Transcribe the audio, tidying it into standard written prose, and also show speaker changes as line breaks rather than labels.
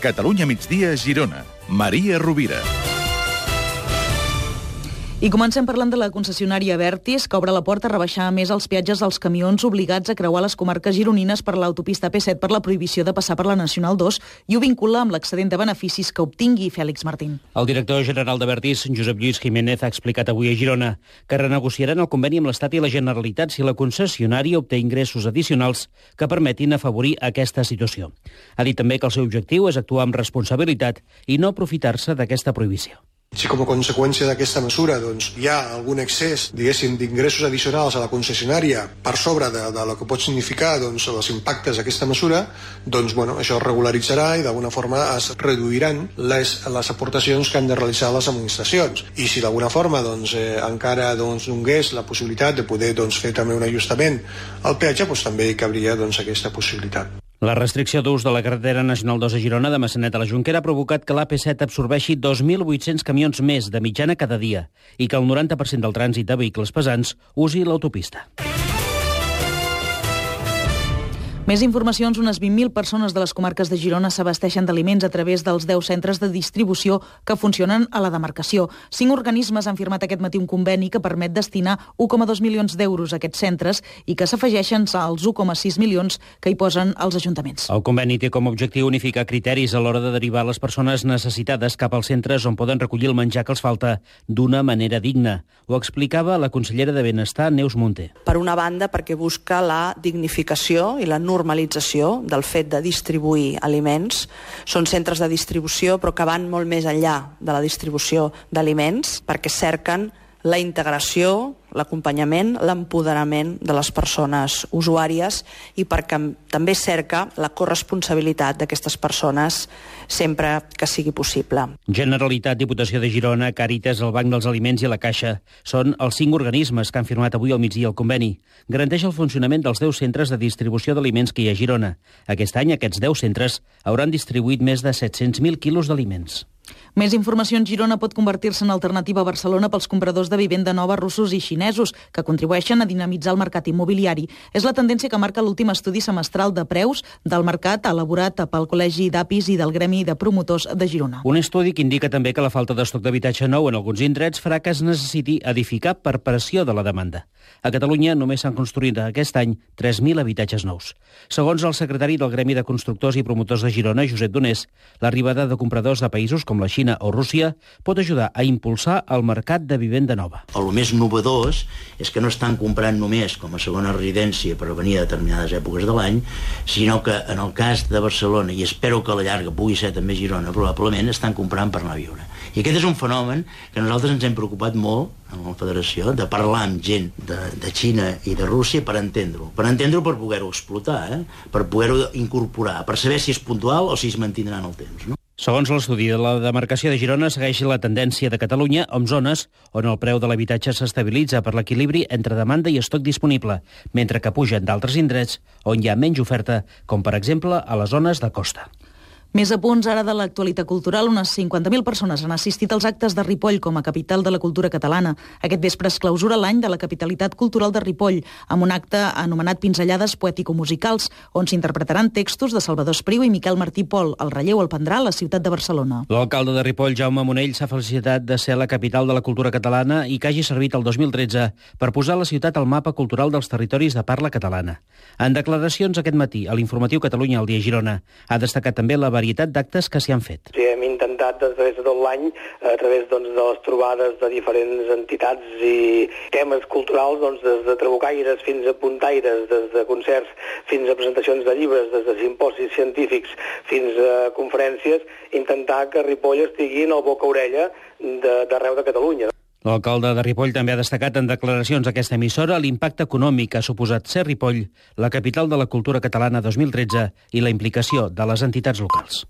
Catalunya migdia, Girona. Maria Rovira.
I comencem parlant de la concessionària Abertis, que obre la porta a rebaixar més els peatges dels camions obligats a creuar les comarques gironines per l'autopista P7 per la prohibició de passar per la Nacional 2 i ho vincula amb l'excedent de beneficis que obtingui Fèlix Martín.
El director general d'Abertis, Josep Lluís Jiménez, ha explicat avui a Girona que renegociaran el conveni amb l'Estat i la Generalitat si la concessionària obté ingressos addicionals que permetin afavorir aquesta situació. Ha dit també que el seu objectiu és actuar amb responsabilitat i no aprofitar-se d'aquesta prohibició.
Si com a conseqüència d'aquesta mesura hi ha algun excés, d'ingressos addicionals a la concessionària per sobre de lo que pot significar els impactes d'aquesta mesura, això es regularitzarà i d'alguna forma es reduiran les aportacions que han de realitzar les administracions. I si d'alguna forma encara donés la possibilitat de poder fer també un ajustament al peatge, també hi cabria aquesta possibilitat.
La restricció d'ús de la carretera Nacional 2 a Girona de Massanet a la Jonquera ha provocat que l'AP7 absorbeixi 2.800 camions més de mitjana cada dia i que el 90% del trànsit de vehicles pesants usi l'autopista.
Més informacions, unes 20.000 persones de les comarques de Girona s'abasteixen d'aliments a través dels 10 centres de distribució que funcionen a la demarcació. 5 organismes han firmat aquest matí un conveni que permet destinar 1,2 milions d'euros a aquests centres i que s'afegeixen als 1,6 milions que hi posen els ajuntaments.
El conveni té com a objectiu unificar criteris a l'hora de derivar les persones necessitades cap als centres on poden recollir el menjar que els falta d'una manera digna. Ho explicava la consellera de Benestar, Neus Munté.
Per una banda, perquè busca la dignificació i la normalització del fet de distribuir aliments. Són centres de distribució, però que van molt més enllà de la distribució d'aliments, perquè cerquen la integració, l'acompanyament, l'empoderament de les persones usuàries i perquè també cerca la corresponsabilitat d'aquestes persones sempre que sigui possible.
Generalitat, Diputació de Girona, Càritas, el Banc dels Aliments i la Caixa són els 5 organismes que han firmat avui al migdia el conveni. Garanteix el funcionament dels 10 centres de distribució d'aliments que hi ha a Girona. Aquest any aquests 10 centres hauran distribuït més de 700.000 quilos d'aliments.
Més informació en Girona pot convertir-se en alternativa a Barcelona pels compradors de vivenda nova russos i xinesos, que contribueixen a dinamitzar el mercat immobiliari. És la tendència que marca l'últim estudi semestral de preus del mercat elaborat pel Col·legi d'Apis i del Gremi de Promotors de Girona.
Un estudi que indica també que la falta d'estoc d'habitatge nou en alguns indrets farà que es necessiti edificar per pressió de la demanda. A Catalunya només s'han construït aquest any 3.000 habitatges nous. Segons el secretari del Gremi de Constructors i Promotors de Girona, Josep Donés, l'arribada de compradors de països com la Xina o Rússia pot ajudar a impulsar el mercat de vivenda nova.
El més novedós és que no estan comprant només com a segona residència per venir a determinades èpoques de l'any, sinó que en el cas de Barcelona, i espero que a la llarga pugui ser també Girona, probablement estan comprant per anar a viure. I aquest és un fenomen que nosaltres ens hem preocupat molt en la Federació, de parlar amb gent de Xina i de Rússia per entendre-ho. Per entendre-ho, per poder-ho explotar, per poder-ho incorporar, per saber si és puntual o si es mantindrà en el temps, no?
Segons l'estudi de la demarcació de Girona, segueix la tendència de Catalunya amb zones on el preu de l'habitatge s'estabilitza per l'equilibri entre demanda i estoc disponible, mentre que pugen d'altres indrets on hi ha menys oferta, com per exemple a les zones de costa.
Més apunts ara de l'actualitat cultural. Unes 50.000 persones han assistit als actes de Ripoll com a capital de la cultura catalana. Aquest vespre es clausura l'any de la capitalitat cultural de Ripoll, amb un acte anomenat Pinzellades poètico-musicals, on s'interpretaran textos de Salvador Espriu i Miquel Martí Pol. El relleu el prendrà a la ciutat de Barcelona.
L'alcalde de Ripoll, Jaume Monell, s'ha felicitat de ser la capital de la cultura catalana i que hagi servit el 2013 per posar la ciutat al mapa cultural dels territoris de parla catalana. En declaracions aquest matí a l'informatiu Catalunya al dia Girona, ha destacat també la varietat d'actes que s'hi han fet.
Sí, hem intentat a través de tot l'any, a través de les trobades de diferents entitats i temes culturals, des de trabucaires fins a puntaires, des de concerts fins a presentacions de llibres, des de simposis científics fins a conferències, intentar que Ripoll estigui en el boca-orella d'arreu de Catalunya.
L'alcalde de Ripoll també ha destacat en declaracions a aquesta emissora l'impacte econòmic que ha suposat ser Ripoll, la capital de la cultura catalana 2013, i la implicació de les entitats locals.